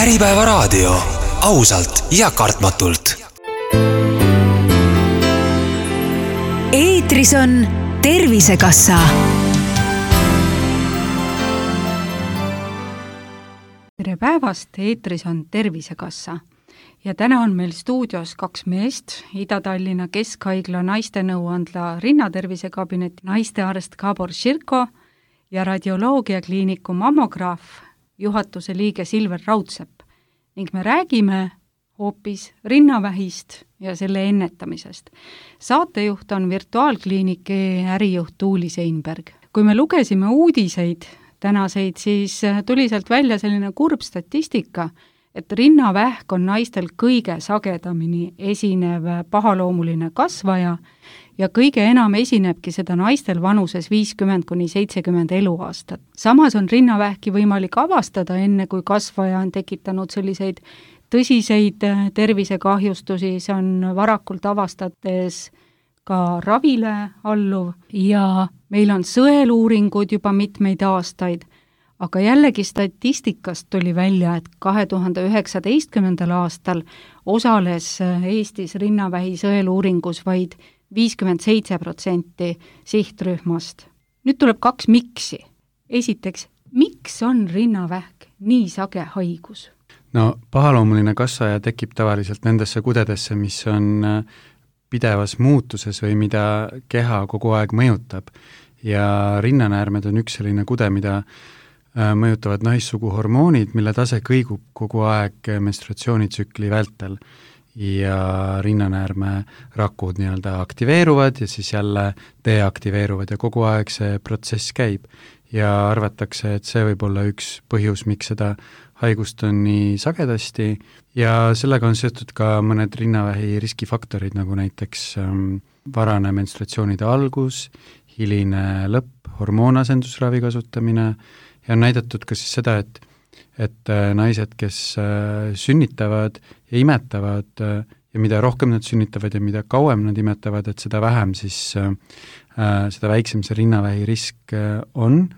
Äripäevaraadio, ausalt ja kartmatult. Eetris on Tervisekassa. Tere päevast, eetris on Tervisekassa. Ja täna on meil stuudios kaks meest, Ida-Tallinna Keskhaigla naistenõuandla rinnatervisekabineti naistearst Gabor Širko ja radioloogiakliiniku mammograaf juhatuse liige Silver Raudsepp ning me räägime hoopis rinnavähist ja selle ennetamisest. Saatejuht on virtuaalkliiniki ärijuht Tuuli Seinberg. Kui me lugesime uudiseid tänaseid, siis tuli sealt välja selline kurb statistika, et rinnavähk on naistel kõige sagedamini esinev pahaloomuline kasvaja ja kõige enam esinebki seda naistel vanuses 50–70 eluaastat. Samas on rinnavähki võimalik avastada enne, kui kasvaja on tekitanud selliseid tõsiseid tervisekahjustusi, see on varakult avastates ka ravile alluv ja meil on sõeluuringud juba mitmeid aastaid. Aga jällegi statistikast tuli välja, et 2019. aastal osales Eestis rinnavähi sõeluuringus vaid 57% sihtrühmast. Nüüd tuleb kaks miksi. Esiteks, miks on rinnavähk nii sage haigus? No pahaloomuline kasvaja tekib tavaliselt nendesse kudedesse, mis on pidevas muutuses või mida keha kogu aeg mõjutab. Ja rinnanäärmed on üks selline kude, mida mõjutavad naissugu hormoonid, mille tase kõigub kogu aeg menstruatsioonitsükli vältel ja rinnanäärme rakud nii-öelda aktiveeruvad ja siis jälle deaktiveeruvad ja kogu aeg see protsess käib ja arvatakse, et see võib olla üks põhjus, miks seda haigust on nii sagedasti ja sellega on seotud ka mõned rinnavähi riskifaktorid, nagu näiteks varane menstruatsioonide algus, hiline lõpp, hormoonasendusravi kasutamine ja on näidatud ka siis seda, et naised, kes sünnitavad ja imetavad ja mida rohkem nad sünnitavad ja mida kauem nad imetavad, et seda vähem siis, seda väiksem see rinnavähi risk on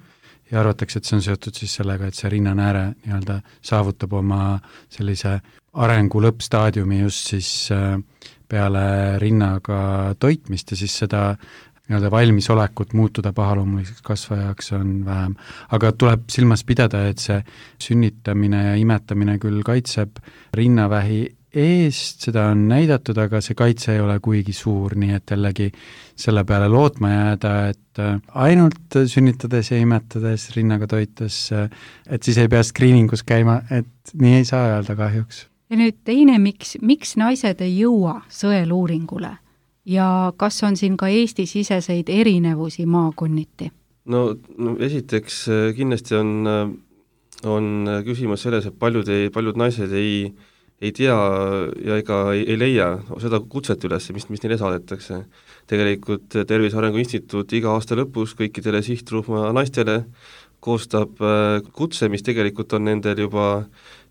ja arvatakse, et see on seotud siis sellega, et see rinnanääre nii-öelda saavutab oma sellise arengu lõppstaadiumi just siis peale rinnaga toitmist ja siis seda nii-öelda valmisolekut muutuda pahaloomuliseks kasvajaks on vähem. Aga tuleb silmas pidada, et see sünnitamine ja imetamine küll kaitseb rinnavähi eest, seda on näidatud, aga see kaitse ei ole kuigi suur, nii et jällegi selle peale lootma jääda, et ainult sünnitades ja imetades rinnaga toites, et siis ei pea screeningus käima, et nii ei saa öelda kahjuks. Ja nüüd teine, miks naised ei jõua sõeluuringule? Ja kas on siin ka Eesti-siseseid erinevusi maakonniti? No esiteks kindlasti on küsimus selles, et paljud naised ei tea ja ega ei leia seda kutset üles, mis neile saadetakse. Tegelikult Tervise Arengu Instituut iga aasta lõpus kõikidele sihtrühma naistele koostab kutse, mis tegelikult on nendel juba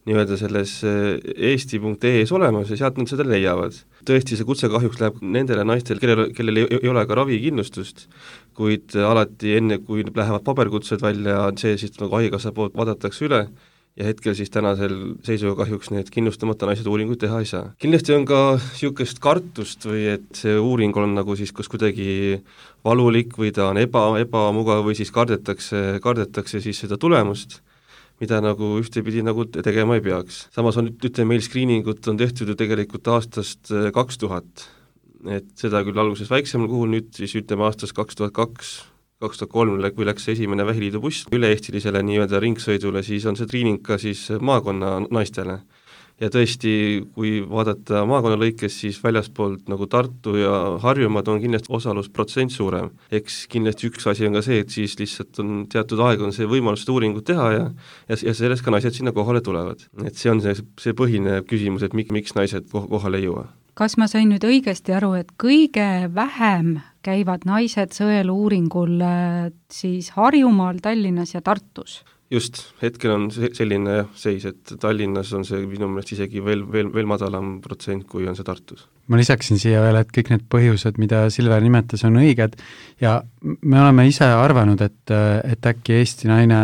nii-öelda selles eesti.ee-s olemas ja sealt nad seda leiavad. Tõesti, see kutse kahjuks läheb nendele naistel, kellel ei ole ka ravikindlustust, kuid alati enne, kui lähevad paberkutsed välja, see siis nagu haigekassa poolt vaadatakse üle ja hetkel siis tänasel seisuga kahjuks need kindlustamata naised uuringuid teha ei saa. Kindlasti on ka niisugust kartust või et see uuring on nagu siis kas kuidagi valulik või ta on ebamugav või siis kardetakse siis seda tulemust, mida nagu ühtepidi nagu tegema ei peaks. Samas on, meil screeningut on tehtud ju tegelikult aastast 2000, et seda küll alguses väiksemal kuhul, nüüd siis aastast 2002-2003, kui läks esimene vähiliidu buss üle-eestilisele nii-öelda ringsõidule, siis on see screening ka siis maakonna naistele. Ja tõesti, kui vaadata maakonna lõikes, siis väljaspoolt nagu Tartu ja Harjumaad on kindlasti osalusprotsent suurem. Eks kindlasti üks asi on ka see, et siis lihtsalt on teatud aeg on see võimalus uuringut teha ja sellest ka naised sinna kohale tulevad. Et see on see põhine küsimus, et miks naised kohale ei jõua. Kas ma sain nüüd õigesti aru, et kõige vähem käivad naised sõeluuringul siis Harjumaal, Tallinnas ja Tartus? Just, hetkel on selline seis, et Tallinnas on see minu meelest isegi veel madalam protsent, kui on see Tartus. ma lisaksin siia veel, et kõik need põhjused, mida Silver nimetas, on õiged ja me oleme ise arvanud, et äkki Eesti naine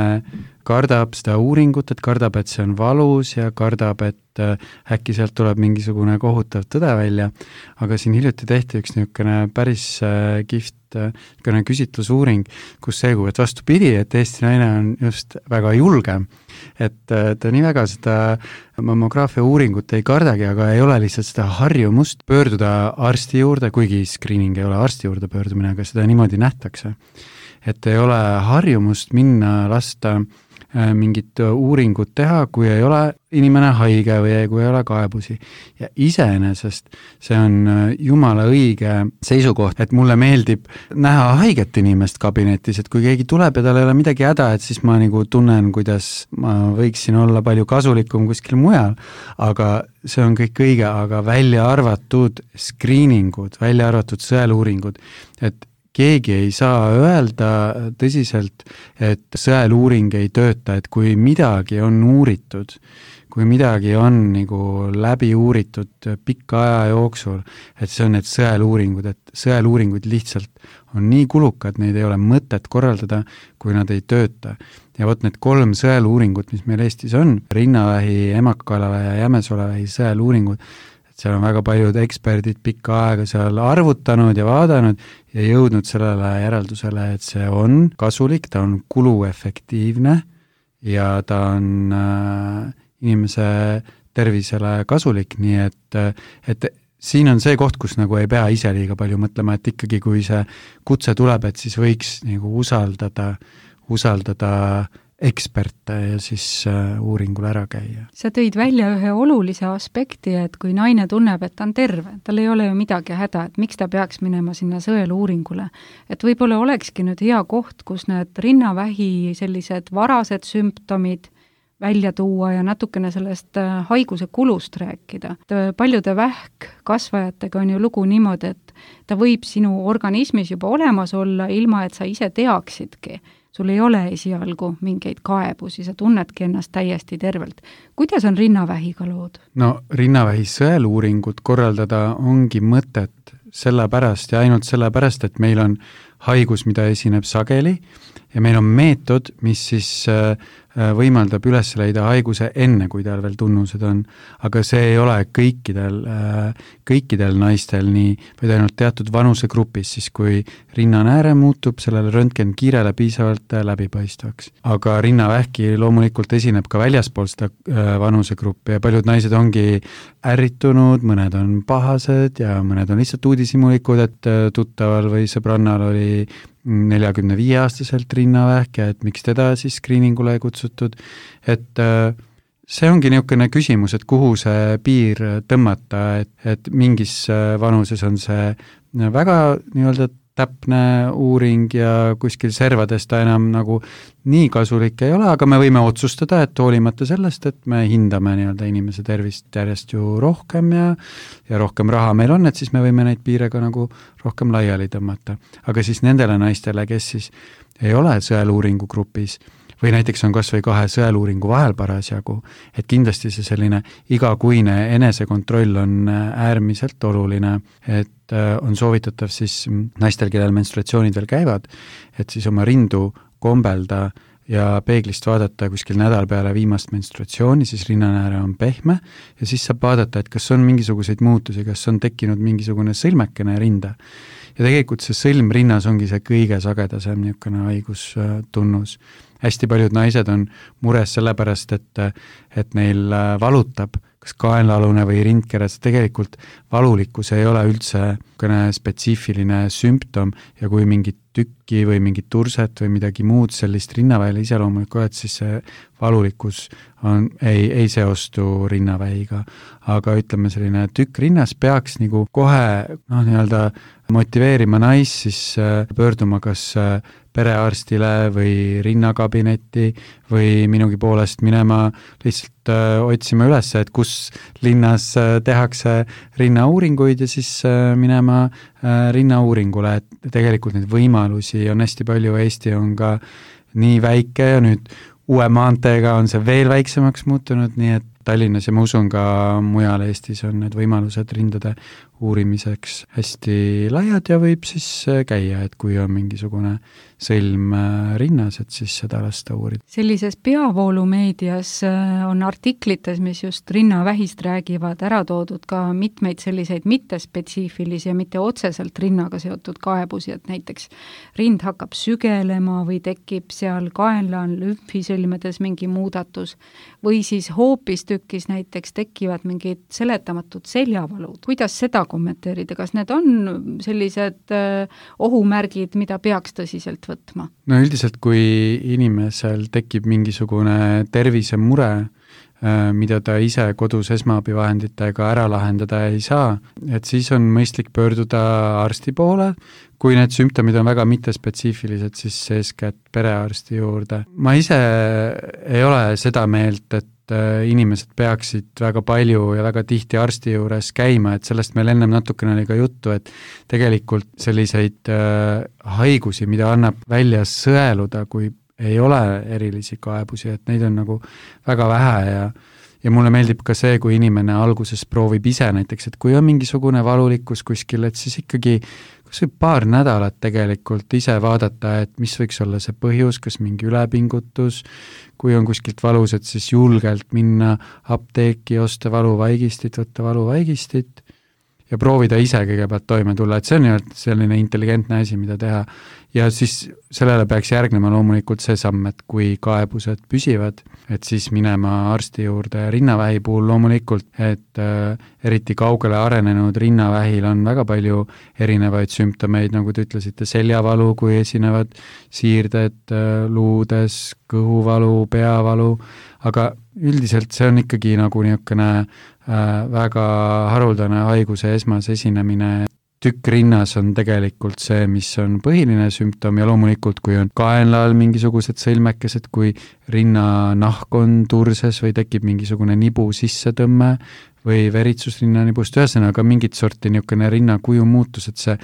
kardab seda uuringut, et kardab, et see on valus ja kardab, et äkki sealt tuleb mingisugune kohutav tõde välja, aga siin hiljuti tehti üks niisugune päris kihvt küsitlusuuring, kus selgub, et vastupidi, et Eesti naine on just väga julge, et ta nii väga seda mammograafia uuringut ei kardagi, aga ei ole lihtsalt seda harjumust pöörduda arsti juurde, kuigi screening ei ole arsti juurde pöördumine, aga seda niimoodi nähtakse. Et ei ole harjumust minna lasta mingit uuringut teha, kui ei ole inimene haige või kui ei ole kaebusi. Ja iseenesest see on jumala õige seisukoht, et mulle meeldib näha haiget inimest kabinetis, et kui keegi tuleb ja tal ei ole midagi häda, et siis ma nagu tunnen, kuidas ma võiksin olla palju kasulikum kuskil mujal, aga see on kõik õige, aga välja arvatud screeningud, välja arvatud sõeluuringud, et keegi ei saa öelda tõsiselt, et sõeluuring ei tööta, et kui midagi on uuritud, kui midagi on nagu läbi uuritud pika aja jooksul, et see on need sõeluuringud, et sõeluuringud lihtsalt on nii kulukad, neid ei ole mõtet korraldada, kui nad ei tööta. Ja võt need 3 sõeluuringut, mis meil Eestis on, rinnavähi, emakakaelavähi ja jämesolevähi sõeluuringud, seal on väga paljud eksperdid pikka aega seal arvutanud ja vaadanud ja jõudnud sellele järeldusele, et see on kasulik, ta on kuluefektiivne ja ta on inimese tervisele kasulik, nii et siin on see koht, kus nagu ei pea ise liiga palju mõtlema, et ikkagi kui see kutse tuleb, et siis võiks nagu usaldada eksperte ja siis uuringul ära käia. Sa tõid välja ühe olulise aspekti, et kui naine tunneb, et ta on terve, tal ei ole ju midagi häda, et miks ta peaks minema sinna sõeluuringule. Et võib-olla olekski nüüd hea koht, kus need rinnavähi sellised varased sümptomid välja tuua ja natukene sellest haiguse kulust rääkida. Paljude vähkkasvajatega on ju lugu niimoodi, et ta võib sinu organismis juba olemas olla, ilma et sa ise teaksidki. Sul ei ole esialgu mingeid kaebusi, sa tunnedki ennast täiesti tervelt. Kuidas on rinnavähiga lood? No rinnavähi sõeluuringut korraldada ongi mõtet sellepärast ja ainult sellepärast, et meil on haigus, mida esineb sageli ja meil on meetod, mis siis võimaldab üles leida haiguse enne, kui tal veel tunnused on. Aga see ei ole kõikidel naistel nii, vaid ainult teatud vanusegrupis, siis kui rinnanääre muutub sellele röntgenkiirele piisavalt läbipaistvaks. Aga rinnavähki loomulikult esineb ka väljaspool seda vanusegruppi ja paljud naised ongi ärritunud, mõned on pahased ja mõned on lihtsalt uudishimulikud, et tuttaval või sõbrannal oli 45-aastaselt rinnavähk ja et miks teda siis screeningule ei kutsutud, et see ongi niisugune küsimus, et kuhu see piir tõmmata, et mingis vanuses on see väga nii-öelda täpne uuring ja kuskil servades ta enam nagu nii kasulik ei ole, aga me võime otsustada, et hoolimata sellest, et me hindame nii-öelda inimese tervist järjest ju rohkem ja rohkem raha meil on, et siis me võime neid piire ka nagu rohkem laiali tõmmata. Aga siis nendele naistele, kes siis ei ole sõeluuringu grupis või näiteks on kas või 2 sõeluuringu vahel parasjagu, et kindlasti see selline igakuine enesekontroll on äärmiselt oluline, et on soovitatav siis naistel, kellel menstruatsioonid veel käivad, et siis oma rindu kombelda ja peeglist vaadata kuskil nädal peale viimast menstruatsiooni, siis rinnanääre on pehme ja siis saab vaadata, et kas on mingisuguseid muutusi, kas on tekkinud mingisugune sõlmekene rinda. Ja tegelikult see sõlm rinnas ongi see kõige sagedasem niisugune haigustunnus. Hästi paljud naised on mures sellepärast, et neil valutab kas kaenlaalune või rindkeres, tegelikult valulikkus ei ole üldse spetsiifiline sümptom ja kui mingit tükki või mingit turset või midagi muud sellist rinnaväile iseloomulikku, et siis see valulikkus ei seostu rinnavähiga. Aga ütleme, selline tükk rinnas peaks nagu kohe nii-öelda motiveerima naist siis pöörduma kas perearstile või rinnakabinetti või minugi poolest minema lihtsalt otsima üles, et kus linnas tehakse rinnauuringuid ja siis minema rinnauuringule, et tegelikult neid võimalusi on hästi palju, Eesti on ka nii väike ja nüüd uue maanteega on see veel väiksemaks muutunud, nii et Tallinnas ja ma usun ka mujal Eestis on need võimalused rindade uurimiseks hästi laiad ja võib siis käia, et kui on mingisugune sõlm rinnas, et siis seda lasta uurida. Sellises peavoolumeedias on artiklites, mis just rinnavähist räägivad, ära toodud ka mitmeid selliseid mittespetsiifilisi ja mitte otseselt rinnaga seotud kaebusi, et näiteks rind hakkab sügelema või tekib seal kaenla lümfisõlmedes mingi muudatus või siis hoopistükkis näiteks tekivad mingid seletamatud seljavalud. Kuidas seda kommenteerida? Kas need on sellised ohumärgid, mida peaks tõsiselt võtma? No üldiselt, kui inimesel tekib mingisugune tervisemure, mida ta ise kodus esmaabivahenditega ära lahendada ei saa, et siis on mõistlik pöörduda arsti poole. Kui need sümptomid on väga mittespetsiifilised, siis eeskätt perearsti juurde. Ma ise ei ole seda meelt, et inimesed peaksid väga palju ja väga tihti arsti juures käima, et sellest meil ennem natukene oli ka juttu, et tegelikult selliseid haigusi, mida annab välja sõeluda, kui ei ole erilisi kaebusi, et neid on nagu väga vähe ja mulle meeldib ka see, kui inimene alguses proovib ise näiteks, et kui on mingisugune valulikkus kuskil, et siis ikkagi kas või paar nädalat tegelikult ise vaadata, et mis võiks olla see põhjus, kas mingi ülepingutus, kui on kuskilt valus, et siis julgelt minna apteeki, osta valuvaigistit, võtta valuvaigistit ja proovida ise kõigepealt toime tulla, et see on selline intelligentne asi, mida teha. Ja siis sellele peaks järgnema loomulikult see samm, et kui kaebused püsivad, et siis minema arsti juurde rinnavähi puhul loomulikult, et eriti kaugele arenenud rinnavähil on väga palju erinevaid sümptomeid, nagu te ütlesite, seljavalu, kui esinevad siirded luudes, kõhuvalu, peavalu, aga üldiselt see on ikkagi nagu niisugune väga haruldane haiguse esmase esinemine. Tükk rinnas on tegelikult see, mis on põhiline sümptom ja loomulikult, kui on kaenla all mingisugused sõlmekesed, kui rinnanahk on turses või tekib mingisugune nibu sissetõmme või veritsus rinnanibust, ühesõnaga mingit sorti niisugune rinnakuju muutus, et see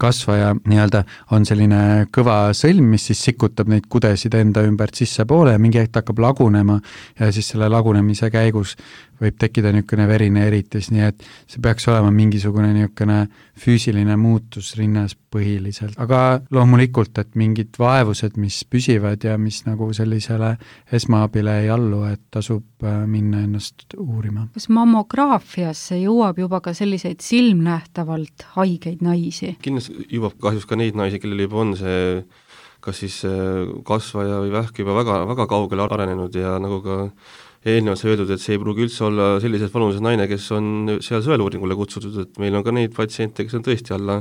kasvaja nii-öelda on selline kõva sõlm, mis siis sikutab neid kudesid enda ümbert sissepoole ja mingi hetk hakkab lagunema ja siis selle lagunemise käigus võib tekkida niisugune verine eritis, nii et see peaks olema mingisugune niisugune füüsiline muutus rinnas põhiliselt. Aga loomulikult, et mingid vaevused, mis püsivad ja mis nagu sellisele esmaabile ei allu, et tasub minna ennast uurima. Kas mammograafiasse jõuab juba ka selliseid silmnähtavalt haigeid naisi? Kindlasti jõuab kahjuks ka neid naisi, kellel juba on see kas siis kasvaja või vähk juba väga, väga kaugele arenenud ja nagu ka eelnevalt sai öeldud, et see ei pruugi üldse olla sellises vanuses naine, kes on seal sõeluuringule kutsutud, et meil on ka neid patsiente, kes on tõesti alla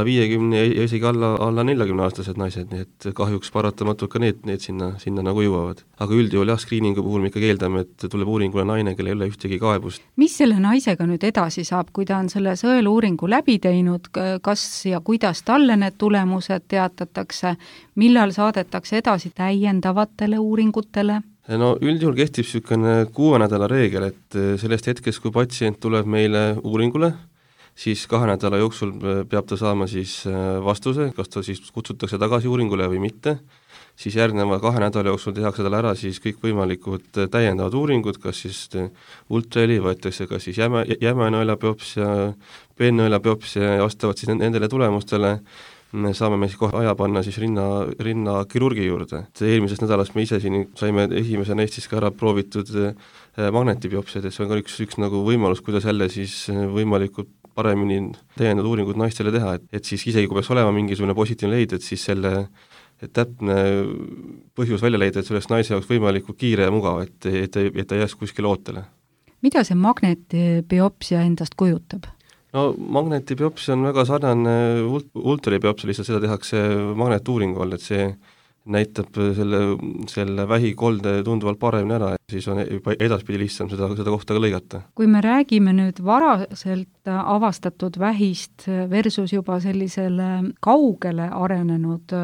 50 ja isegi alla 40-aastased naised, nii et kahjuks paratamatult ka need sinna nagu jõuavad. Aga üldjuhul screeningu puhul me ikkagi eeldame, et tuleb uuringule naine, kellel ei ole ühtegi kaebust. Mis selle naisega nüüd edasi saab, kui ta on selle sõeluuringu läbi teinud, kas ja kuidas talle need tulemused teatatakse, millal saadetakse edasi täiendavatele uuringutele? No üldjuhul kehtib niisugune 6 nädala reegel, et sellest hetkest, kui patsient tuleb meile uuringule, siis 2 nädala jooksul peab ta saama siis vastuse, kas ta siis kutsutakse tagasi uuringule või mitte, siis järgneva 2 nädala jooksul tehakse talle ära siis kõik võimalikud täiendavad uuringud, kas siis ultraheli võetakse, kas siis jämenõelabiopsia, peennõelabiopsia ja vastavalt siis nendele tulemustele saame me siis kohe aja panna siis rinnakirurgi juurde. Eelmisest nädalast me ise siin saime esimese neist siis ka ära proovitud magnetibiopsiad, et see on ka üks nagu võimalus, kuidas jälle siis võimalikult paremini täiendavad uuringud naistele teha, et siis isegi kui peaks olema mingisugune positiivne leid, et siis selle täpne põhjus välja leida, et see oleks naise jaoks võimalikult kiire ja mugav, et ta jääks kuskile ootele. Mida see magnetibiopsia endast kujutab? No magnetibiopsia on väga sarnane ultralibiopsia, lihtsalt seda tehakse magnetuuringu all, et see näitab selle vähikolde tunduvalt paremini ära, siis on juba edaspidi lihtsam seda kohta ka lõigata. Kui me räägime nüüd varaselt avastatud vähist versus juba sellisele kaugele arenenud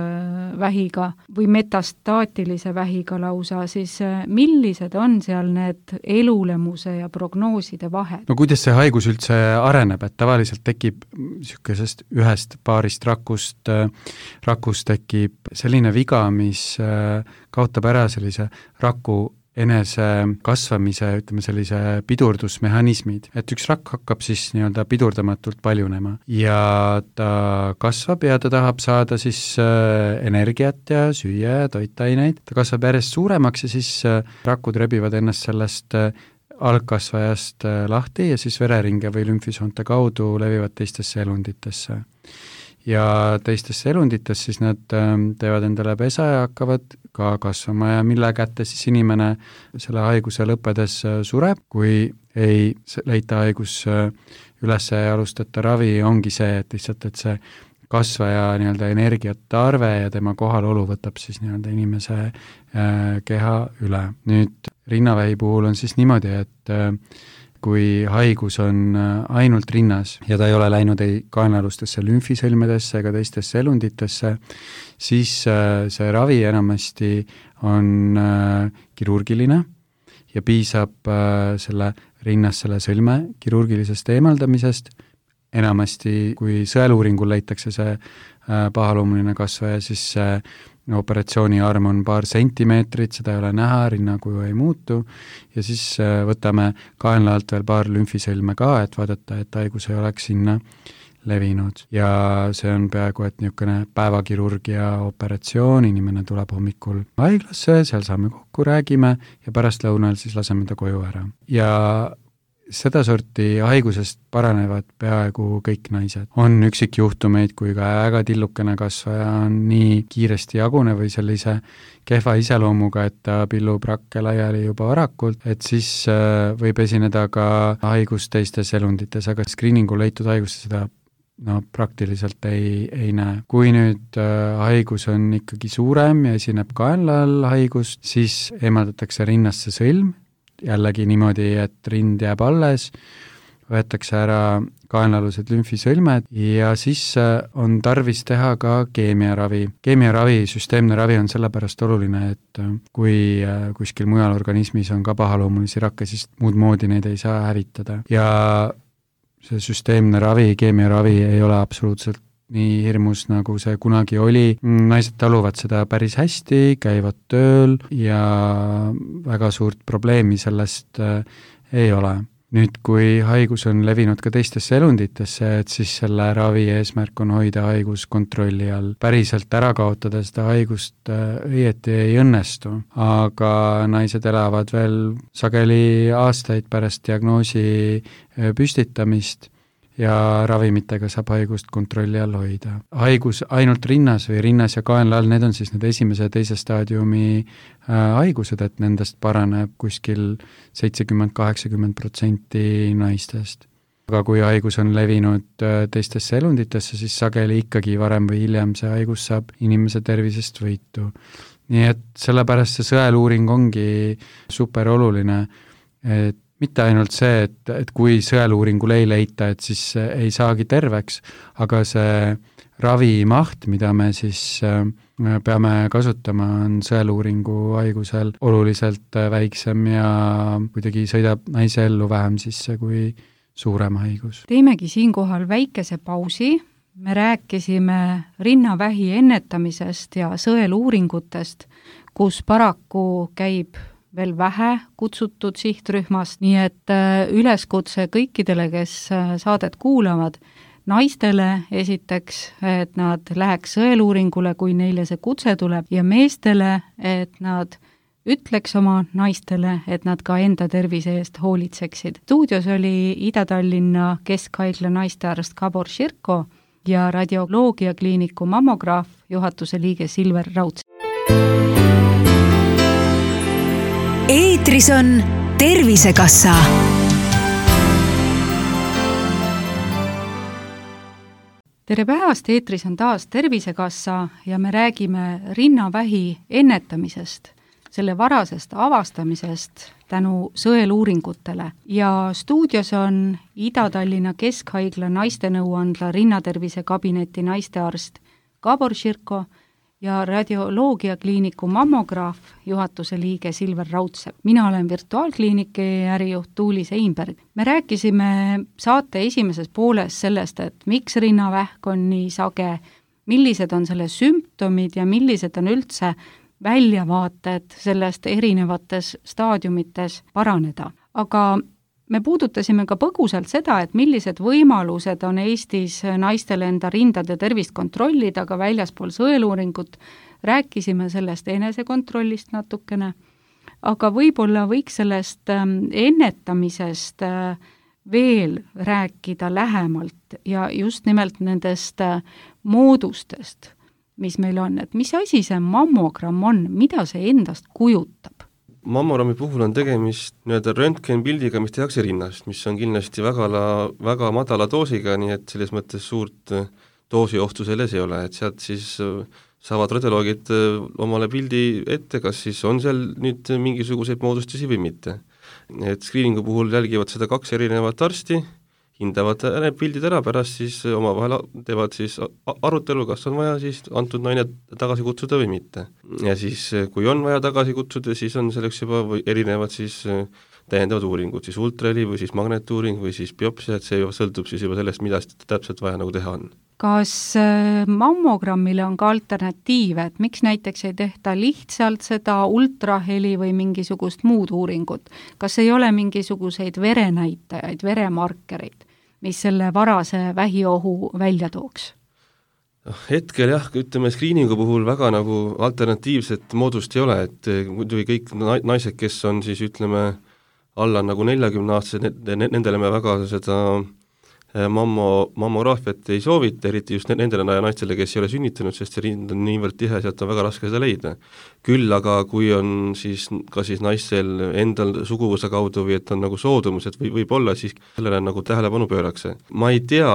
vähiga või metastaatilise vähiga lausa, siis millised on seal need elulemuse ja prognooside vahed? No kuidas see haigus üldse areneb, et tavaliselt tekib niisugusest ühest paarist rakust tekib selline viga, mis kaotab ära sellise raku enese kasvamise, ütleme sellise pidurdusmehhanismid, et üks rakk hakkab siis nii-öelda pidurdamatult paljunema ja ta kasvab ja ta tahab saada siis energiat ja süüa ja toitaineid, ta kasvab järjest suuremaks ja siis rakud rebivad ennast sellest algkasvajast lahti ja siis vereringe või lümfisoonte kaudu levivad teistesse elunditesse. Ja teistesse elundites siis nad teevad endale pesa ja hakkavad ka kasvama ja mille kätte siis inimene selle haiguse lõppedes sureb, kui ei leita haigus üles ja alustata ravi, ongi see, et lihtsalt, et see kasvaja nii-öelda energiatarve ja tema kohalolu võtab siis nii-öelda inimese keha üle. Nüüd rinnavähi puhul on siis niimoodi, et kui haigus on ainult rinnas ja ta ei ole läinud ei kaenalustesse lümfisõlmedesse ega teistesse elunditesse, siis see ravi enamasti on kirurgiline ja piisab selle rinnas selle sõlme kirurgilisest eemaldamisest. Enamasti, kui sõeluuringul leitakse see pahaloomuline kasvaja, siis operatsiooni arm on paar sentimeetrit, seda ei ole näha, rinnakuju ei muutu ja siis võtame kaenla alt veel paar lümfisõlme ka, et vaadata, et haigus ei oleks sinna levinud. Ja see on peaaegu, et niisugune päevakirurgia operatsioon, inimene tuleb hommikul haiglasse, seal saame kokku, räägime ja pärastlõunal siis laseme ta koju ära. Ja seda sorti haigusest paranevad peaaegu kõik naised. On üksikjuhtumeid, kui ka väga tillukene kasvaja on nii kiiresti jagune või sellise kehva iseloomuga, et ta pillub rakke laiali juba varakult, et siis võib esineda ka haigus teistes elundites, aga screeningul leitud haiguste seda praktiliselt ei näe. Kui nüüd haigus on ikkagi suurem ja esineb kaenla all haigust, siis eemaldatakse rinnast see sõlm, jällegi niimoodi, et rind jääb alles, võetakse ära kaenlalused lümfisõlmed ja siis on tarvis teha ka keemiaravi. Keemiaravi, süsteemne ravi on sellepärast oluline, et kui kuskil mujal organismis on ka pahaloomulisi rakke, siis muud moodi neid ei saa hävitada. Ja see süsteemne ravi, keemiaravi ei ole absoluutselt nii hirmus, nagu see kunagi oli. Naised taluvad seda päris hästi, käivad tööl ja väga suurt probleemi sellest ei ole. Nüüd, kui haigus on levinud ka teistesse elunditesse, et siis selle ravi eesmärk on hoida haigus kontrolli all. Päriselt ära kaotada seda haigust õieti ei õnnestu, aga naised elavad veel sageli aastaid pärast diagnoosi püstitamist ja ravimitega saab haigust kontrolli all hoida. Haigus ainult rinnas või rinnas ja kaenla all, need on siis need esimese ja teise staadiumi haigused, et nendest paraneb kuskil 70-80% naistest. Aga kui haigus on levinud teistesse elunditesse, siis sageli ikkagi varem või hiljem see haigus saab inimese tervisest võitu. Nii et sellepärast see sõeluuring ongi super oluline, et mitte ainult see, et kui sõeluuringul ei leita, et siis ei saagi terveks, aga see ravimaht, mida me siis peame kasutama, on sõeluuringu haigusel oluliselt väiksem ja kuidagi sõidab naise ellu vähem sisse kui suurem haigus. Teemegi siinkohal väikese pausi. Me rääkisime rinnavähi ennetamisest ja sõeluuringutest, kus paraku käib veel vähe kutsutud sihtrühmast, nii et üleskutse kõikidele, kes saadet kuulavad, naistele esiteks, et nad läheks sõeluuringule, kui neile see kutse tuleb, ja meestele, et nad ütleks oma naistele, et nad ka enda tervise eest hoolitseksid. Stuudios oli Ida-Tallinna Keskhaigla naistearst Gabor Širko ja radioloogiakliiniku mammograaf, juhatuse liige Silver Rauds. Eetris on Tervisekassa. Tere päevast, eetris on taas Tervisekassa ja me räägime rinnavähi ennetamisest, selle varasest avastamisest tänu sõeluuringutele. Ja stuudios on Ida-Tallinna Keskhaigla naistenõuandla rinnatervise kabineti naistearst Gabor Širko ja radioloogiakliiniku mammograaf, juhatuse liige Silver Raudsepp. Mina olen virtuaalkliiniki ärijuht Tuuli Seinberg. Me rääkisime saate esimeses pooles sellest, et miks rinnavähk on nii sage, millised on selle sümptomid ja millised on üldse väljavaated sellest erinevates staadiumites paraneda. Aga me puudutasime ka põgusalt seda, et millised võimalused on Eestis naistel enda rindade tervist kontrollida, aga väljaspool sõeluuringut rääkisime sellest enesekontrollist natukene, aga võib-olla võiks sellest ennetamisest veel rääkida lähemalt ja just nimelt nendest moodustest, mis meil on, et mis asi see mammogramm on, mida see endast kujutab? Mammogrammi puhul on tegemist röntgenpildiga, mis tehakse rinnast, mis on kindlasti väga madala doosiga, nii et selles mõttes suurt doosiohtu selles ei ole, et sealt siis saavad radioloogid omale pildi ette, kas siis on seal nüüd mingisuguseid moodustusi või mitte. Et screeningu puhul jälgivad seda 2 erinevat arsti, hindavad need pildid ära, pärast siis omavahel teevad siis arutelu, kas on vaja siis antud naine tagasi kutsuda või mitte. Ja siis, kui on vaja tagasi kutsuda, siis on selleks juba erinevad siis täiendavad uuringud, siis ultraheli või siis magnetuuring või siis biopsia, et see juba sõltub siis juba sellest, mida täpselt vaja nagu teha on. Kas mammogrammile on ka alternatiive, et miks näiteks ei tehta lihtsalt seda ultraheli või mingisugust muud uuringut? Kas ei ole mingisuguseid verenäitajaid, veremarkereid, mis selle varase vähiohu välja tooks? Hetkel jah, ütleme screeningu puhul väga nagu alternatiivset moodust ei ole, et muidugi kõik naised, kes on siis ütleme alla nagu 40-aastased, nendele me väga seda mammograafiat ei soovita, eriti just nendele naistele, kes ei ole sünnitanud, sest see rind on niivõrd tihe, sealt on väga raske seda leida. Küll aga kui on siis ka siis naistel endal suguvõsa kaudu või et on nagu soodumus, et võib-olla siis sellele nagu tähelepanu pöörakse. Ma ei tea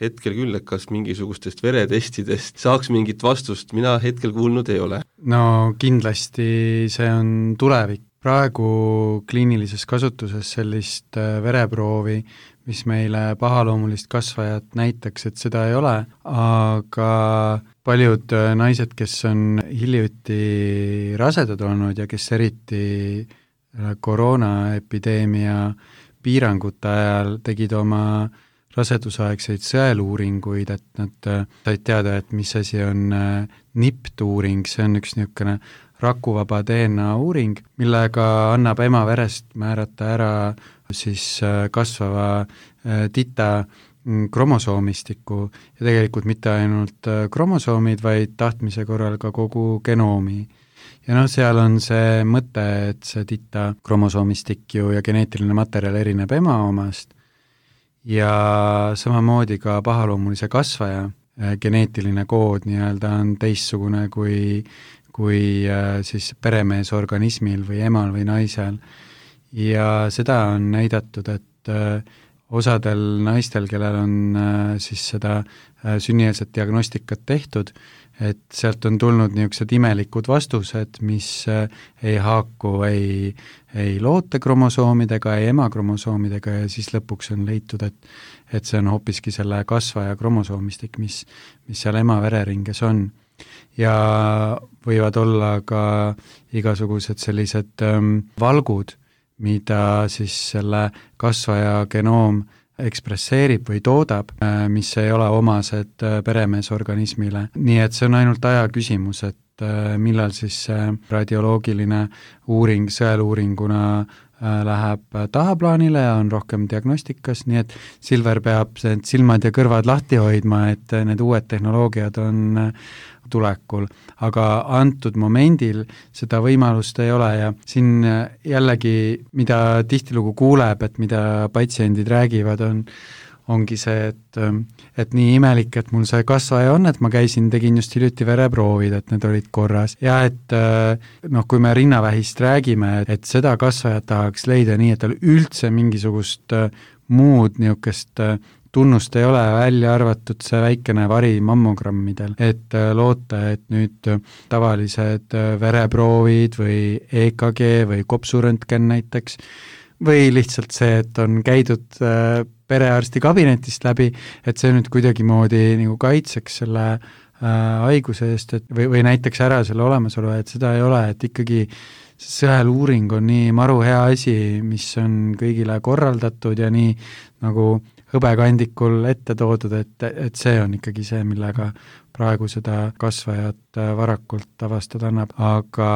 hetkel küll, et kas mingisugustest veretestidest saaks mingit vastust, mina hetkel kuulnud ei ole. No kindlasti see on tulevik. Praegu kliinilises kasutuses sellist vereproovi, mis meile pahaloomulist kasvajat näitaks, et seda ei ole, aga paljud naised, kes on hiljuti rasedad olnud ja kes eriti koroonaepideemia piirangute ajal tegid oma rasedusaegseid sõeluuringuid, et nad said teada, et mis asi on NIPT-uuring, see on üks niisugune rakuvaba DNA uuring, millega annab ema verest määrata ära siis kasvava tita kromosoomistiku ja tegelikult mitte ainult kromosoomid, vaid tahtmise korral ka kogu genoomi. Ja seal on see mõte, et see tita kromosoomistik ju ja geneetiline materjal erineb ema omast ja samamoodi ka pahaloomulise kasvaja geneetiline kood nii-öelda on teistsugune kui siis peremeesorganismil või emal või naisel. Ja seda on näidatud, et osadel naistel, kellel on siis seda sünnieelset diagnostikat tehtud, et sealt on tulnud niisugused imelikud vastused, mis ei haaku ei lootekromosoomidega, ei emakromosoomidega ja siis lõpuks on leitud, et see on hoopiski selle kasvaja kromosoomistik, mis seal ema vereringes on. Ja võivad olla ka igasugused sellised valgud, mida siis selle kasvaja genoom ekspresseerib või toodab, mis ei ole omased peremeesorganismile. Nii et see on ainult aja küsimus, et millal siis radioloogiline uuring sõeluuringuna läheb tahaplaanile ja on rohkem diagnostikas, nii et Silver peab silmad ja kõrvad lahti hoidma, et need uued tehnoloogiad on tulekul, aga antud momendil seda võimalust ei ole ja siin jällegi, mida tihtilugu kuuleb, et mida patsiendid räägivad, ongi see, et nii imelik, et mul see kasvaja on, et ma tegin just hiljuti vereproovid, et need olid korras. Ja et kui me rinnavähist räägime, et seda kasvajat tahaks leida nii, et tal üldse mingisugust muud niisugust tunnust ei ole, välja arvatud see väikene vari mammogrammidel, et loota, et nüüd tavalised vereproovid või EKG või kopsuröntgen näiteks, või lihtsalt see, et on käidud perearsti kabinetist läbi, et see nüüd kuidagimoodi nagu kaitseks selle haiguse eest, et või näiteks ära selle olemasolu, et seda ei ole, et ikkagi sõeluuring on nii maru hea asi, mis on kõigile korraldatud ja nii nagu hõbekandikul ette toodud, et see on ikkagi see, millega praegu seda kasvajat varakult avastada annab, aga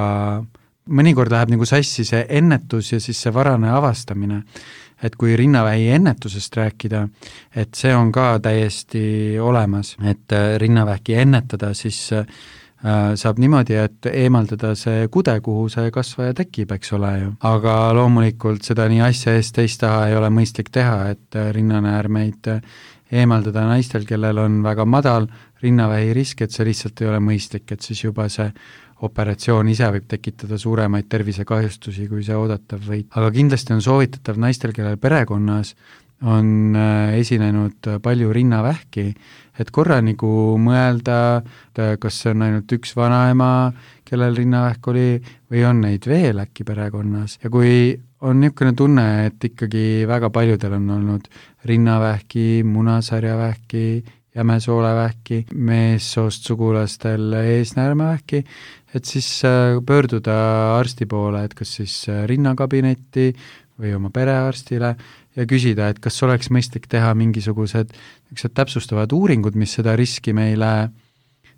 mõnikord läheb nagu sassi see ennetus ja siis see varane avastamine, et kui rinnavähi ennetusest rääkida, et see on ka täiesti olemas, et rinnavähki ennetada, siis saab niimoodi, et eemaldada see kude, kuhu see kasvaja tekib, eks ole ju. Aga loomulikult seda nii asja eest teist taha ei ole mõistlik teha, et rinnanäärmeid eemaldada naistel, kellel on väga madal rinnavähi risk, et see lihtsalt ei ole mõistlik, et siis juba see operatsioon ise võib tekitada suuremaid tervisekahjustusi, kui see oodatav võid. Aga kindlasti on soovitatav naistel, kellel perekonnas on esinenud palju rinnavähki, et korra nagu mõelda, kas see on ainult üks vanaema, kellel rinnavähk oli, või on neid veel äkki perekonnas. Ja kui on niisugune tunne, et ikkagi väga paljudel on olnud rinnavähki, munasarjavähki, jämesoolevähki, meessoost sugulastel eesnäärmevähki, et siis pöörduda arsti poole, et kas siis rinnakabinetti või oma perearstile ja küsida, et kas oleks mõistlik teha mingisugused täpsustavad uuringud, mis seda riski meile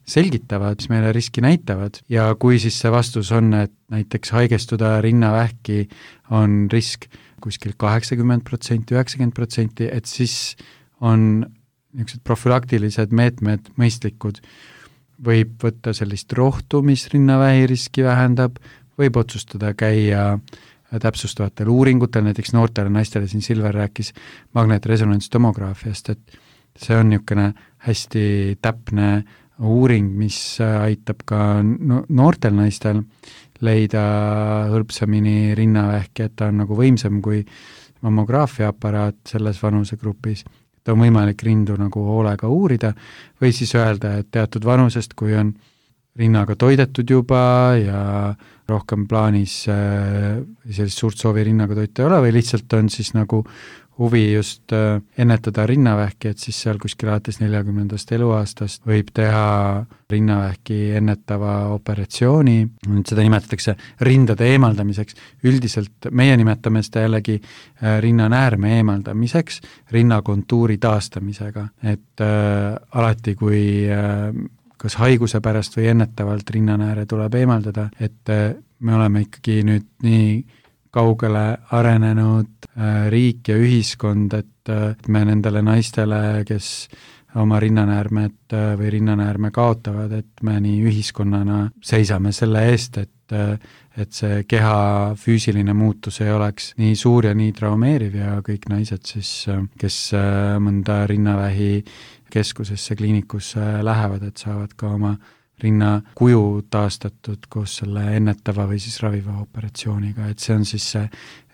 selgitavad, mis meile riski näitavad ja kui siis see vastus on, et näiteks haigestuda rinnavähki on risk kuskil 80%, 90%, et siis on niisugused profülaktilised meetmed mõistlikud. Võib võtta sellist rohtu, mis rinnavähi riski vähendab, võib otsustada käia täpsustavatel uuringutel, näiteks noortele naistele, siin Silver rääkis magnetresonantstomograafiast, et see on niisugune hästi täpne uuring, mis aitab ka noortel naistel leida hõlpsamini rinnavähki, et ta on nagu võimsam kui mammograafiaaparaat selles vanusegrupis. Ta on võimalik rindu nagu hoolega uurida või siis öelda, et teatud vanusest, kui on rinnaga toidetud juba ja rohkem plaanis sellist suurt soovi rinnaga toita ei ole või lihtsalt on siis nagu huvi just ennetada rinnavähki, et siis seal kuskil alates 40. eluaastast võib teha rinnavähki ennetava operatsiooni, seda nimetatakse rindade eemaldamiseks, üldiselt meie nimetame seda jällegi rinnanäärme eemaldamiseks, rinnakontuuri taastamisega, et alati kui kas haiguse pärast või ennetavalt rinnanääre tuleb eemaldada, et me oleme ikkagi nüüd nii kaugele arenenud riik ja ühiskond, et me nendele naistele, kes oma rinnanäärmed või rinnanäärme kaotavad, et me nii ühiskonnana seisame selle eest, et see keha füüsiline muutus ei oleks nii suur ja nii traumeeriv ja kõik naised siis, kes mõnda rinnavähi keskusesse, kliinikusse lähevad, et saavad ka oma rinna kuju taastatud koos selle ennetava või siis raviva operatsiooniga, et see on siis see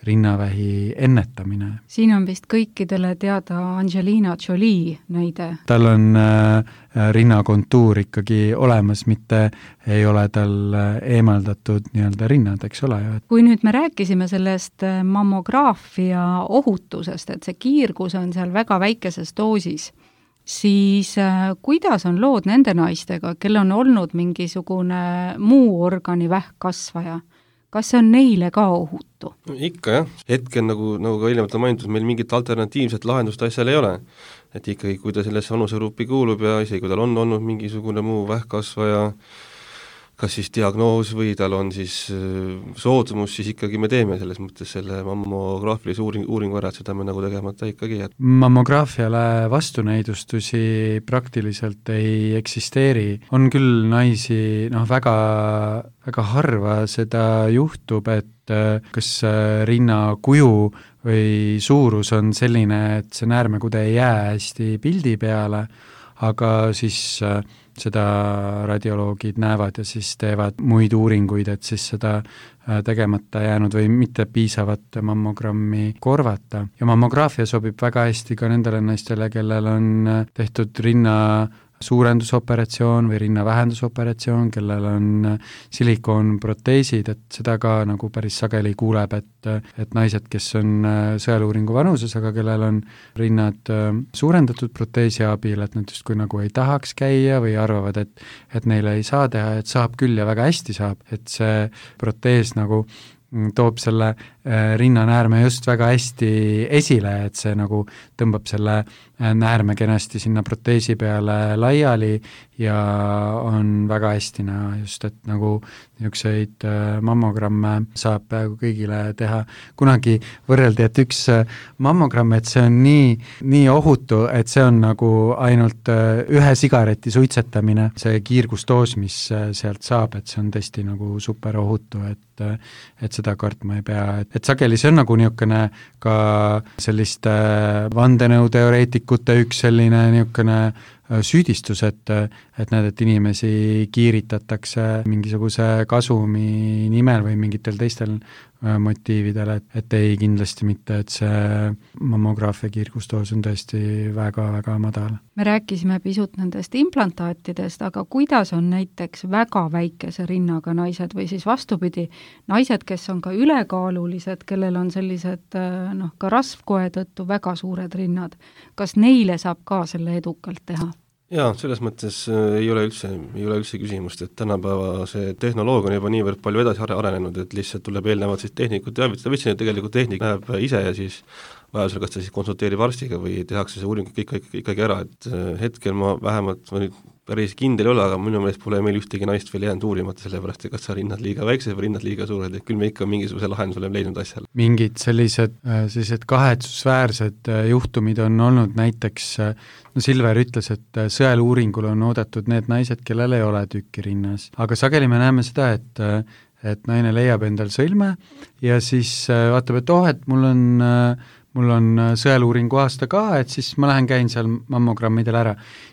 rinnavähi ennetamine. Siin on vist kõikidele teada Angelina Jolie näide. Tal on rinnakontuur ikkagi olemas, mitte ei ole tal eemaldatud nii-öelda rinnad, eks ole ju. Kui nüüd me rääkisime sellest mammograafia ohutusest, et see kiirgus on seal väga väikeses doosis, siis kuidas on lood nende naistega, kel on olnud mingisugune muu organi vähkkasvaja? Kas see on neile ka ohutu? Ikka jah, hetkel nagu ka eelnevalt on mainitud, meil mingit alternatiivset lahendust asjal ei ole. Et ikkagi, kui ta sellesse vanusegruppi kuulub ja isegi kui tal on olnud mingisugune muu vähkkasvaja, kas siis diagnoos või tal on siis soodumus, siis ikkagi me teeme selles mõttes selle mammograafilise uuringu ära, et seda me nagu tegemata ikkagi jääb. Mammograafiale vastunäidustusi praktiliselt ei eksisteeri. On küll naisi, väga, väga harva seda juhtub, et kas rinnakuju või suurus on selline, et see näärmekude ei jää hästi pildi peale, aga siis seda radioloogid näevad ja siis teevad muid uuringuid, et siis seda tegemata jäänud või mitte piisavat mammogrammi korvata. Ja mammograafia sobib väga hästi ka nendele naistele, kellel on tehtud rinna suurendusoperatsioon või rinnavähendusoperatsioon, kellel on silikoonproteesid, et seda ka nagu päris sageli kuuleb, et naised, kes on sõeluuringu vanuses, aga kellel on rinnad suurendatud proteesi abil, et nad justkui nagu ei tahaks käia või arvavad, et neile ei saa teha, et saab küll ja väga hästi saab, et see protees nagu toob selle rinnanäärme just väga hästi esile, et see nagu tõmbab selle näärme kenasti sinna proteesi peale laiali ja on väga hästi näha just, et nagu niisuguseid mammogramme saab peaaegu kõigile teha. Kunagi võrreldi, et üks mammogramm, et see on nii ohutu, et see on nagu ainult ühe sigareti suitsetamine. See kiirgusdoos, mis sealt saab, et see on tõesti nagu super ohutu, et seda kartma ei pea. Et sageli see on nagu niisugune ka selliste vandenõuteoreetikute üks selline niisugune süüdistus, et näed, et inimesi kiiritatakse mingisuguse kasumi nimel või mingitel teistel motiividel, et ei kindlasti mitte, et see mammograafia kiirgusdoos on tõesti väga-väga madal. Me rääkisime pisut nendest implantaatidest, aga kuidas on näiteks väga väikese rinnaga naised või siis vastupidi, naised, kes on ka ülekaalulised, kellel on sellised ka rasvkoe tõttu väga suured rinnad, kas neile saab ka selle edukalt teha? Jaa, selles mõttes ei ole üldse küsimust, et tänapäeva see tehnoloogia on juba niivõrd palju edasi arenenud, et lihtsalt tuleb eelnevalt siis tehnikut teavitada, võtsin, et tegelikult tehnik läheb ise ja siis vajadusel kas ta siis konsulteerib arstiga või tehakse see uuring ikkagi ära, et hetkel ma nüüd päris kindel ei ole, aga minu meelest pole meil ühtegi naist veel jäänud uurimata, sellepärast et kas sa rinnad liiga väiksed või rinnad liiga suured, et küll me ikka mingisuguse lahenduse oleme leidnud asjale. Mingid sellised kahetsusväärsed juhtumid on olnud näiteks, Silver ütles, et sõeluuringul on oodatud need naised, kellel ei ole tükki rinnas, aga sageli me näeme seda, et naine leiab endal sõlme ja siis vaatab, et et mul on sõeluuringu aasta ka, et siis ma lähen käin seal mammogrammidel ära.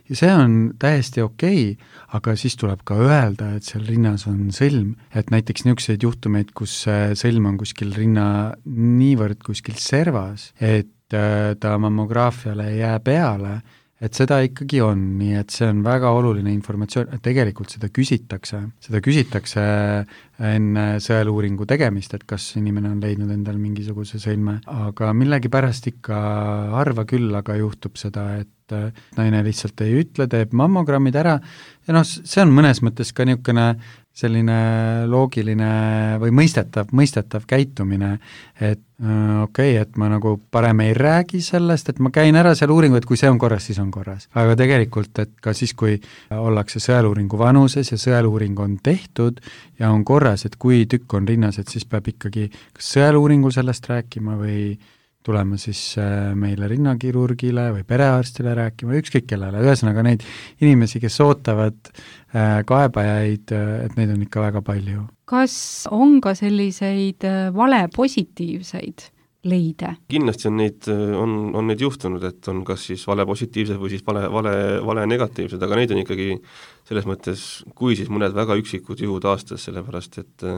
Ja see on täiesti okei, aga siis tuleb ka öelda, et seal rinnas on sõlm. Et näiteks niisuguseid juhtumeid, kus sõlm on kuskil rinna niivõrd kuskil servas, et ta mammograafiale ei jää peale, et seda ikkagi on, nii et see on väga oluline informatsioon, et tegelikult seda küsitakse enne sõeluuringu tegemist, et kas inimene on leidnud endal mingisuguse sõlme, aga millegipärast ikka harva küll, aga juhtub seda, et naine lihtsalt ei ütle, teeb mammogrammid ära ja see on mõnes mõttes ka niisugune selline loogiline või mõistetav käitumine, et et ma nagu parem ei räägi sellest, et ma käin ära seal uuringu, et kui see on korras, siis on korras. Aga tegelikult, et ka siis, kui ollakse sõeluuringu vanuses ja sõeluuring on tehtud ja on korras, et kui tükk on rinnas, et siis peab ikkagi kas sõeluuringul sellest rääkima või tulema siis meile rinnakirurgile või perearstile rääkima, ükskõik kellele, ühesõnaga neid inimesi, kes ootavad kaebajaid, et neid on ikka väga palju. Kas on ka selliseid valepositiivseid leide? Kindlasti on neid juhtunud, et on kas siis valepositiivsed või siis vale negatiivsed, aga neid on ikkagi selles mõttes, kui siis mõned väga üksikud juhud aastas, sellepärast et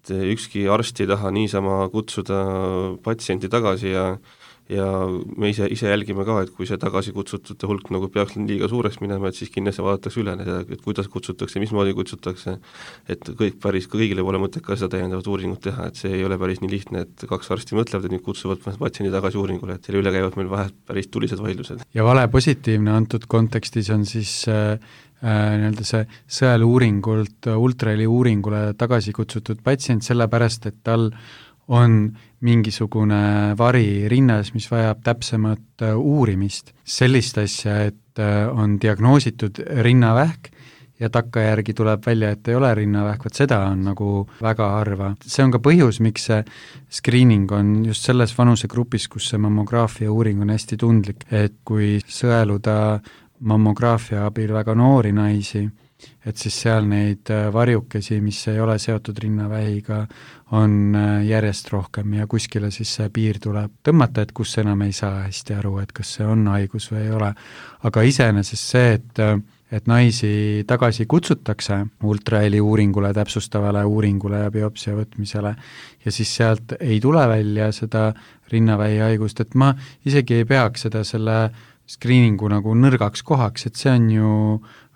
ükski arst ei taha niisama kutsuda patsienti tagasi ja me ise jälgime ka, et kui see tagasi kutsutute hulk nagu peaks liiga suureks minema, et siis kindlasti vaadatakse üle, et kuidas kutsutakse, mismoodi kutsutakse, et kõigile pole mõtet ka seda täiendavat uuringut teha, et see ei ole päris nii lihtne, et kaks arsti mõtlevad, et nüüd kutsuvad patsiendi tagasi uuringule, et selle üle käivad meil vahel päris tulised vaidlused. Ja vale positiivne antud kontekstis on siis nii-öelda see sõeluuringult ultraheli uuringule tagasi kutsutud patsient, sellepärast, et tal on mingisugune vari rinnas, mis vajab täpsemat uurimist. Sellist asja, et on diagnoositud rinnavähk ja takkajärgi tuleb välja, et ei ole rinnavähk, seda on nagu väga harva. See on ka põhjus, miks see screening on just selles vanusegrupis, kus see mammograafia uuring on hästi tundlik, et kui sõeluda mammograafia abil väga noori naisi, et siis seal neid varjukesi, mis ei ole seotud rinnavähiga, on järjest rohkem ja kuskile siis see piir tuleb tõmmata, et kus enam ei saa hästi aru, et kas see on haigus või ei ole. Aga iseenesest see, et naisi tagasi kutsutakse ultraheli uuringule, täpsustavale uuringule ja biopsia võtmisele ja siis sealt ei tule välja seda rinnavähi haigust, et ma isegi ei peaks seda selle screeningu nagu nõrgaks kohaks, et see on ju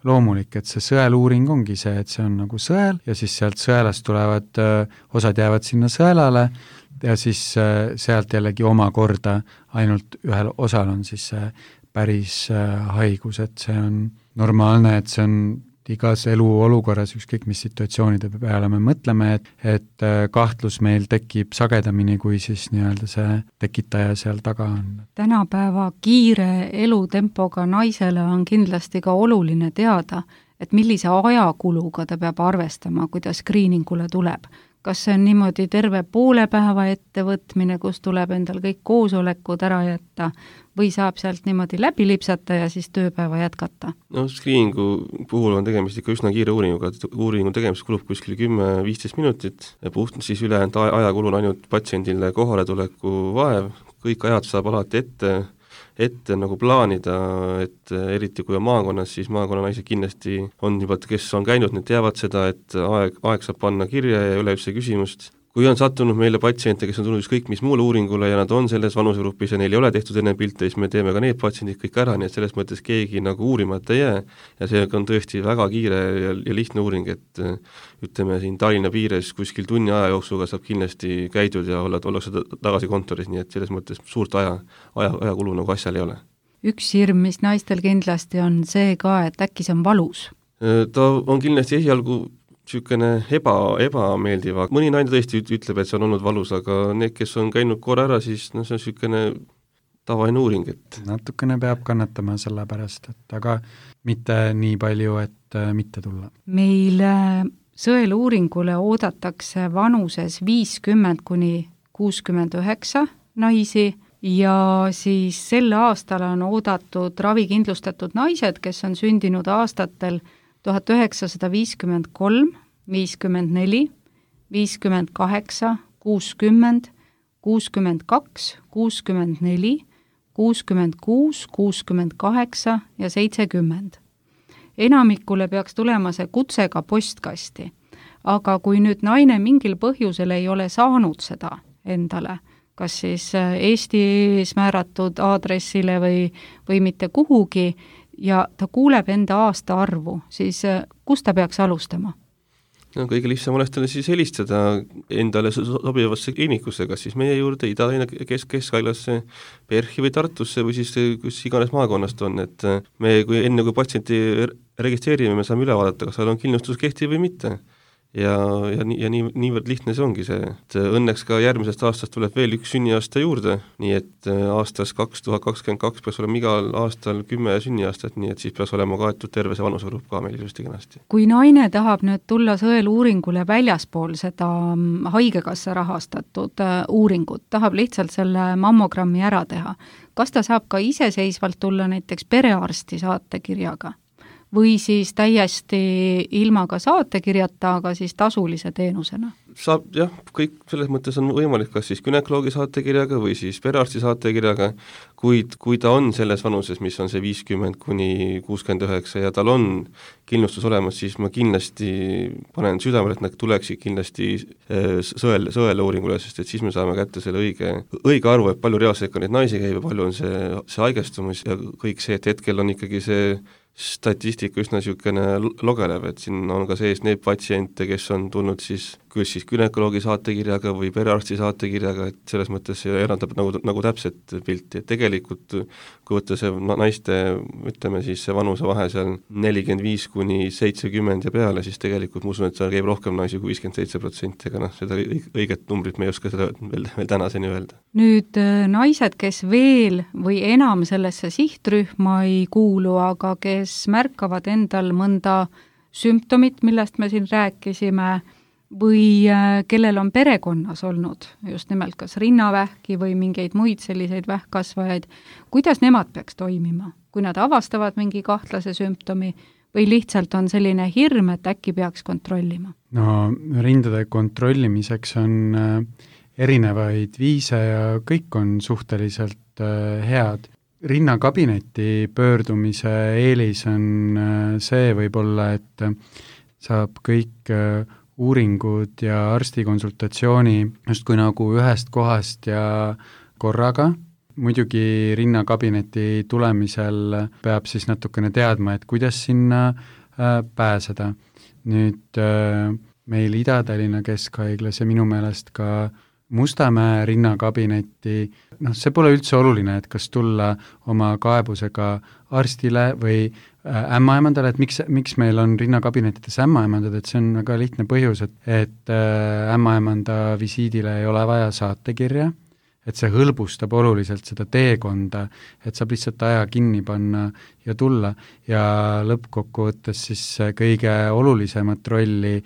loomulik, et see sõeluuring ongi see, et see on nagu sõel ja siis sealt sõelast tulevad, osad jäävad sinna sõelale ja siis sealt jällegi omakorda ainult ühel osal on siis see päris haigus, et see on normaalne, et see on igas eluolukorras, ükskõik mis situatsioonide peale me mõtleme, et kahtlus meil tekib sagedamini, kui siis nii-öelda see tekitaja seal taga on. Tänapäeva kiire elutempoga naisele on kindlasti ka oluline teada, et millise ajakuluga ta peab arvestama, kui ta screeningule tuleb. Kas see on niimoodi terve poole päeva ettevõtmine, kus tuleb endal kõik koosolekud ära jätta, või saab sealt niimoodi läbi lipsata ja siis tööpäeva jätkata? No screeningu puhul on tegemist ikka üsna kiire uuringuga, uuringu tegemist kulub kuskil 10-15 minutit ja puht siis ülejäänud ajakulu on ainult patsiendile kohaletuleku vaev, kõik ajad saab alati ette nagu plaanida, et eriti kui on maakonnas, siis maakonnanaised kindlasti on juba, kes on käinud, need teavad seda, et aeg saab panna kirja ja ei ole üldse küsimust. Kui on sattunud meile patsiente, kes on tulnud ükskõik mis muule uuringule ja nad on selles vanusegrupis ja neil ei ole tehtud enne pilte, siis me teeme ka need patsiendid kõik ära, nii et selles mõttes keegi nagu uurimata ei jää ja see on tõesti väga kiire ja lihtne uuring, et ütleme siin Tallinna piires kuskil tunni aja jooksuga saab kindlasti käidud ja ollakse tagasi kontoris, nii et selles mõttes suurt ajakulu nagu asjal ei ole. Üks hirm, mis naistel kindlasti on see ka, et äkki see on valus? Ta on kindlasti esialgu niisugune ebameeldiva. Mõni naine tõesti ütleb, et see on olnud valus, aga need, kes on käinud korra ära, siis see on niisugune tavaine uuring, et natukene peab kannatama selle pärast, et aga mitte nii palju, et mitte tulla. Meil sõeluuringule oodatakse vanuses 50 kuni 69 naisi ja siis sel aastal on oodatud ravikindlustatud naised, kes on sündinud aastatel 1953, 54, 58, 60, 62, 64, 66, 68 ja 70. Enamikule peaks tulema see kutsega postkasti, aga kui nüüd naine mingil põhjusel ei ole saanud seda endale, kas siis Eesti ees määratud aadressile või mitte kuhugi, ja ta kuuleb enda aasta arvu, siis kus ta peaks alustama? No, kõige lihtsam oleks talle siis helistada endale sobivasse kliinikusse, kas siis meie juurde, Ida-Tallinna Keskhaiglasse, PERH-i või Tartusse või siis kus iganes maakonnast on, et me enne kui patsienti registreerime, me saame üle vaadata, kas seal on kindlustus kehtiv või mitte. Ja niivõrd lihtne see ongi see, et õnneks ka järgmisest aastast tuleb veel üks sünniaasta juurde, nii et aastas 2022 peaks olema igal aastal 10 sünniaastat, nii et siis peaks olema kaetud terve see vanusegrupp ka meil ilusti kenasti. Kui naine tahab nüüd tulla sõeluuringule väljaspool seda haigekassa rahastatud uuringut, tahab lihtsalt selle mammogrammi ära teha, kas ta saab ka iseseisvalt tulla näiteks perearsti saatekirjaga? Või siis täiesti ilma ka saatekirjata, aga siis tasulise teenusena? Saab, jah, kõik selles mõttes on võimalik, kas siis günekoloogi saatekirjaga või siis perearsti saatekirjaga, kuid kui ta on selles vanuses, mis on see 50 kuni 69 ja tal on kindlustus olemas, siis ma kindlasti panen südamele, et nad tuleksid kindlasti sõele uuringule, sest et siis me saame kätte selle õige arvu, et palju reaalselt ka neid naisi käib ja palju on see haigestumus ja kõik see, et hetkel on ikkagi see statistika üsna niisugune logelev, et siin on ka sees need patsiente, kes on tulnud siis küll siis günekoloogi saatekirjaga või perearsti saatekirjaga, et selles mõttes see eraldab nagu täpset pilti, et tegelikult kui võtta see naiste, ütleme siis see vanusevahe seal 45 kuni 70 ja peale, siis tegelikult ma usun, et seal käib rohkem naisi kui 57%, aga seda õiget numbrit me ei oska seda veel tänaseni öelda. Nüüd naised, kes veel või enam sellesse sihtrühma ei kuulu, aga kes märkavad endal mõnda sümptomit, millest me siin rääkisime, või kellel on perekonnas olnud just nimelt kas rinnavähki või mingeid muid selliseid vähkkasvajaid, kuidas nemad peaks toimima, kui nad avastavad mingi kahtlase sümptomi või lihtsalt on selline hirm, et äkki peaks kontrollima? No rindade kontrollimiseks on erinevaid viise ja kõik on suhteliselt head. Rinnakabinetti pöördumise eelis on see võib-olla, et saab kõik uuringud ja arstikonsultatsiooni justkui nagu ühest kohast ja korraga. Muidugi rinnakabineti tulemisel peab siis natukene teadma, et kuidas sinna pääseda. Nüüd meil Ida-Tallinna Keskhaiglas ja minu meelest ka Mustamäe rinnakabinetti, see pole üldse oluline, et kas tulla oma kaebusega arstile või ämmaemandale, et miks meil on rinnakabinetides ämmaemandad, et see on väga lihtne põhjus, et ämmaemanda visiidile ei ole vaja saatekirja, et see hõlbustab oluliselt seda teekonda, et saab lihtsalt aja kinni panna ja tulla ja lõppkokkuvõttes siis kõige olulisemat rolli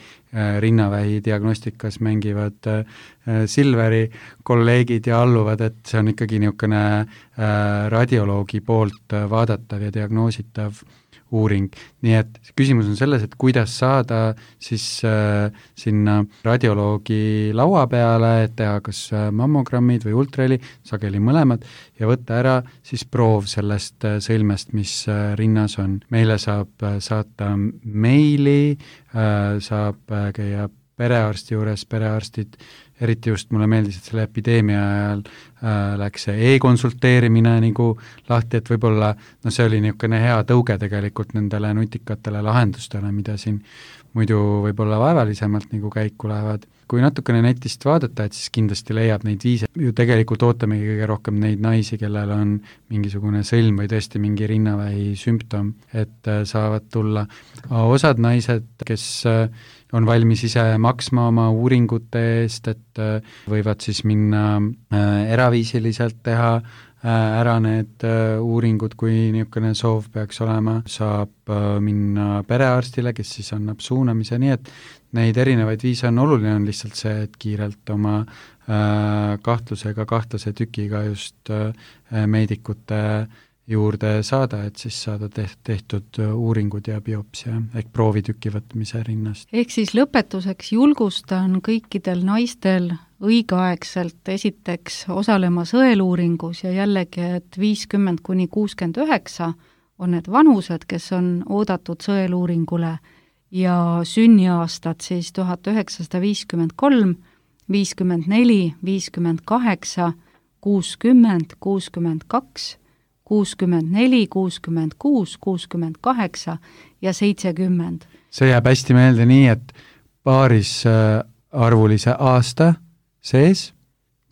rinnavähi diagnostikas mängivad Silveri kolleegid ja alluvad, et see on ikkagi niisugune radioloogi poolt vaadatav ja diagnoositav uuring. Nii et küsimus on selles, et kuidas saada siis sinna radioloogi laua peale, et teha kas mammogrammid või ultraheli, sageli mõlemad, ja võtta ära siis proov sellest sõlmest, mis rinnas on. Meile saab saata meili, saab käia perearsti juures, perearstid, eriti just mulle meeldis, et selle epideemia ajal läks see e-konsulteerimine nagu lahti, et võib-olla see oli niisugune hea tõuge tegelikult nendele nutikatele lahendustele, mida siin muidu võib-olla vaevalisemalt nagu käiku lähevad. Kui natukene netist vaadata, et siis kindlasti leiab neid viise, ju tegelikult ootamegi kõige rohkem neid naisi, kellel on mingisugune sõlm või tõesti mingi rinnavähi sümptom, et saavad tulla. Osad naised, kes on valmis ise maksma oma uuringute eest, et võivad siis minna eraviisiliselt teha ära need uuringud, kui niisugune soov peaks olema, saab minna perearstile, kes siis annab suunamise, nii et neid erinevaid viise on oluline, on lihtsalt see, et kiirelt oma kahtlase tükiga just meedikute juurde saada, et siis saada tehtud uuringud ja biopsia ehk proovitüki võtmise rinnast. Ehk siis lõpetuseks julgustan kõikidel naistel õigeaegselt esiteks osalema sõeluuringus ja jällegi, et 50–69 on need vanused, kes on oodatud sõeluuringule ja sünniaastad siis 1953, 54, 58, 60, 62, 64, 66, 68 ja 70. See jääb hästi meelde nii, et paaris arvulise aasta sees,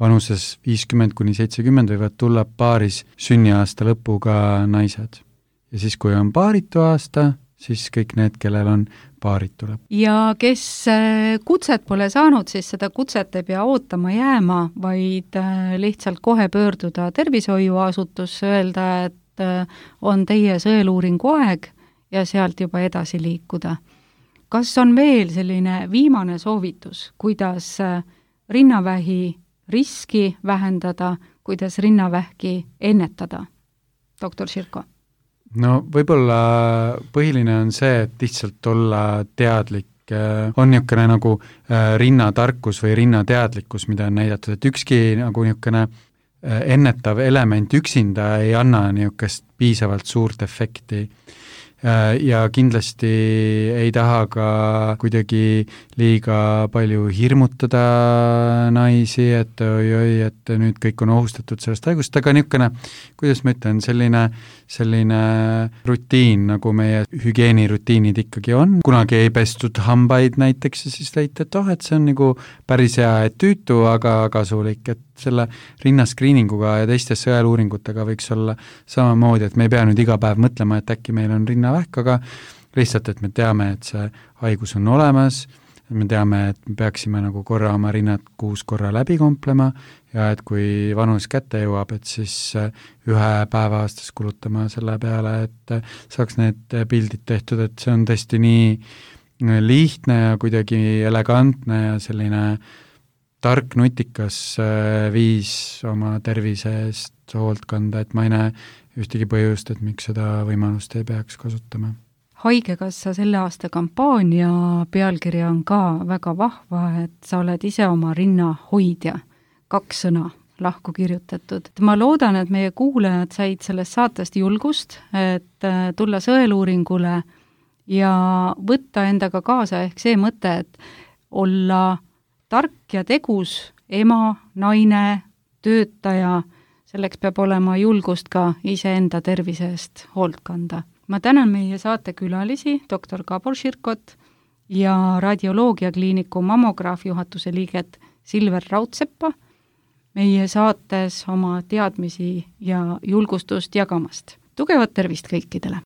vanuses 50–70 võivad tulla paaris sünniaasta lõpuga naised. Ja siis, kui on paaritu aasta, siis kõik need, kellel on paaritu lõpp. Ja kes kutset pole saanud, siis seda kutset ei pea ootama jääma, vaid lihtsalt kohe pöörduda tervishoiuasutusse, öelda, et on teie sõeluuringu aeg ja sealt juba edasi liikuda. Kas on veel selline viimane soovitus, kuidas rinnavähi riski vähendada, kuidas rinnavähki ennetada? Doktor Širko. No võib-olla põhiline on see, et lihtsalt olla teadlik. On niisugune nagu rinnatarkus või rinnateadlikkus, mida on näidatud, et ükski nagu niisugune ennetav element üksinda ei anna niisugust piisavalt suurt efekti. Ja kindlasti ei taha ka kuidagi liiga palju hirmutada naisi, et oi, et nüüd kõik on ohustatud sellest haigust, aga niisugune, kuidas ma ütlen, selline rutiin, nagu meie hügieenirutiinid ikkagi on. Kunagi ei pestud hambaid näiteks ja siis leiti, et see on nagu päris hea, et tüütu, aga kasulik, et selle rinnaskriininguga ja teiste sõeluuringutega võiks olla samamoodi, et me ei pea nüüd iga päev mõtlema, et äkki meil on rinnavähk, aga lihtsalt, et me teame, et see haigus on olemas, me teame, et me peaksime nagu korra oma rinnad 6 korra läbi komplema ja et kui vanus kätte jõuab, et siis 1 päeva aastas kulutama selle peale, et saaks need pildid tehtud, et see on tõesti nii lihtne ja kuidagi elegantne ja selline tark, nutikas viis oma tervise eest hoolt kanda, et ma ei näe ühtegi põhjust, et miks seda võimalust ei peaks kasutama. Haigekassa selle aasta kampaania pealkirja on ka väga vahva, et sa oled ise oma rinna hoidja. 2 sõna lahku kirjutatud. Ma loodan, et meie kuulajad said sellest saatest julgust, et tulla sõeluuringule ja võtta endaga kaasa ehk see mõte, et olla tark ja tegus ema, naine, töötaja, selleks peab olema julgust ka iseenda tervise eest hoolt kanda. Ma tänan meie saate külalisi, doktor Gabor Širkot ja radioloogiakliiniku mammograaf juhatuse liiget Silver Raudseppa meie saates oma teadmisi ja julgustust jagamast. Tugevat tervist kõikidele!